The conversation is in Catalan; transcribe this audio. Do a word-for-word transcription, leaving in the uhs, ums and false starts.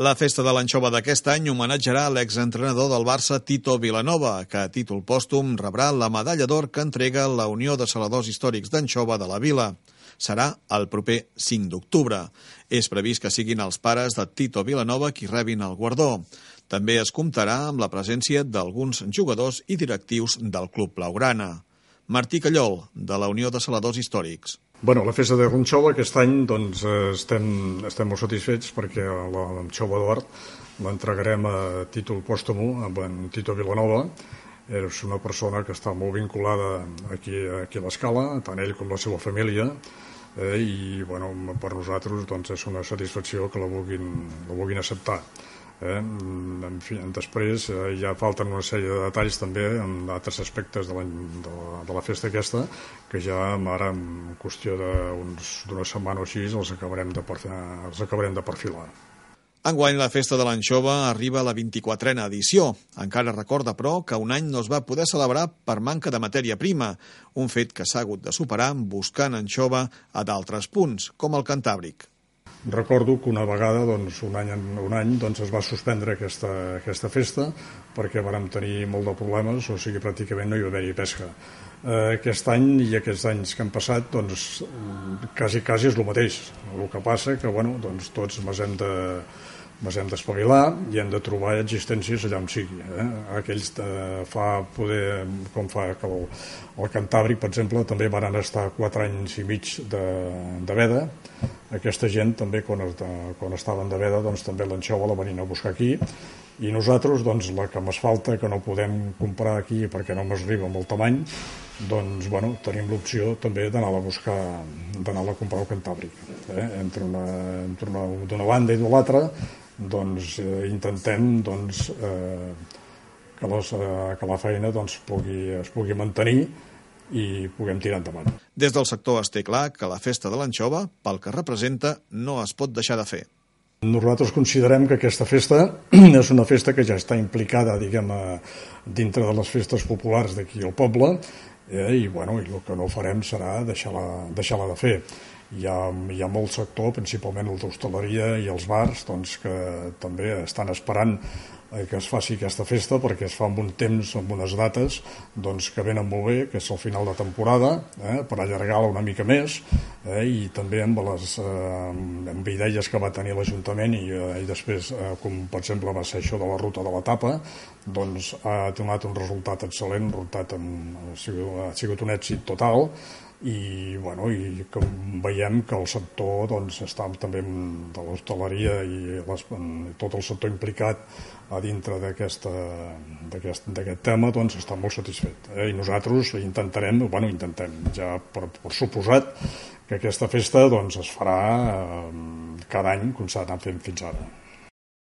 La festa de l'anxova d'aquest any homenatjarà l'exentrenador del Barça Tito Vilanova, que a títol pòstum rebrà la medalla d'or que entrega la Unió de Saladors Històrics d'Anxova de la Vila. Serà el proper cinc d'octubre. És previst que siguin els pares de Tito Vilanova qui rebin el guardó. També es comptarà amb la presència d'alguns jugadors i directius del Club Blaugrana. Martí Callol, de la Unió de Saladors Històrics. Bueno, la festa de l'anxova aquest any doncs, estem, estem molt satisfets perquè l'anxova d'or l'entregarem a títol pòstum amb en Tito Vilanova. És una persona que està molt vinculada aquí, aquí a l'Escala, tant ell com la seva família, eh, i bueno, per nosaltres doncs, és una satisfacció que la vulguin, la vulguin acceptar. Eh? En fi, després eh, ja falten una sèrie de detalls també en altres aspectes de la, de la, de la festa aquesta que ja ara en qüestió d'una setmana o així els acabarem de, els acabarem de perfilar. Enguany la festa de l'anxova arriba a la vint-i-quatrena edició. Encara recorda, però, que un any no es va poder celebrar per manca de matèria prima, un fet que s'ha hagut de superar buscant anxova a d'altres punts, com el Cantàbric. Recordo que una vegada, doncs, un any, un any doncs, es va suspendre aquesta, aquesta festa perquè vàrem tenir molt de problemes, o sigui, pràcticament no hi va haver-hi pesca. Eh, aquest any i aquests anys que han passat, doncs, quasi, quasi és el mateix. El que passa que, bueno, doncs, tots ens hem de ens hem d'espavilar i hem de trobar existències allà on sigui. Eh? Aquells de fa poder, com fa que el, el Cantàbric, per exemple, també van estar quatre anys i mig de, de veda. Aquesta gent també, quan, quan estaven de veda, doncs, també l'anxova la venien a buscar aquí. I nosaltres, doncs, la que ens falta, que no podem comprar aquí perquè no ens arriba amb el tamany, doncs, bueno, tenim l'opció també d'anar-la a buscar, d'anar-la a comprar al Cantàbric. Eh? Entre una, entre una, d'una banda i de l'altra, doncs eh, intentem doncs, eh, que, les, eh, que la feina doncs, pugui, es pugui mantenir i puguem tirar endavant. Des del sector es té clar que la festa de l'anxova, pel que representa, no es pot deixar de fer. Nosaltres considerem que aquesta festa és una festa que ja està implicada, diguem, a, dintre de les festes populars d'aquí al poble, eh, i, bueno, i el que no farem serà deixar-la deixar-la de fer. Hi ha, hi ha molt sector, principalment el d'hostaleria i els bars, doncs, que també estan esperant que es faci aquesta festa perquè es fa amb un temps, amb unes dates doncs, que venen molt bé, que és el final de temporada, eh, per allargar-la una mica més, eh, i també amb les eh, amb idees que va tenir l'Ajuntament i, eh, i després, eh, com per exemple va ser això de la ruta de la tapa, doncs ha donat un resultat excel·lent, resultat amb, ha, sigut, ha sigut un èxit total. I, bueno, i com veiem que el sector doncs, està també de l'hostaleria i les, tot el sector implicat a dintre d'aquest tema doncs, està molt satisfet. Eh? I nosaltres intentarem, bueno, intentem ja per, per suposat que aquesta festa doncs, es farà eh, cada any com s'ha anat fent fins ara.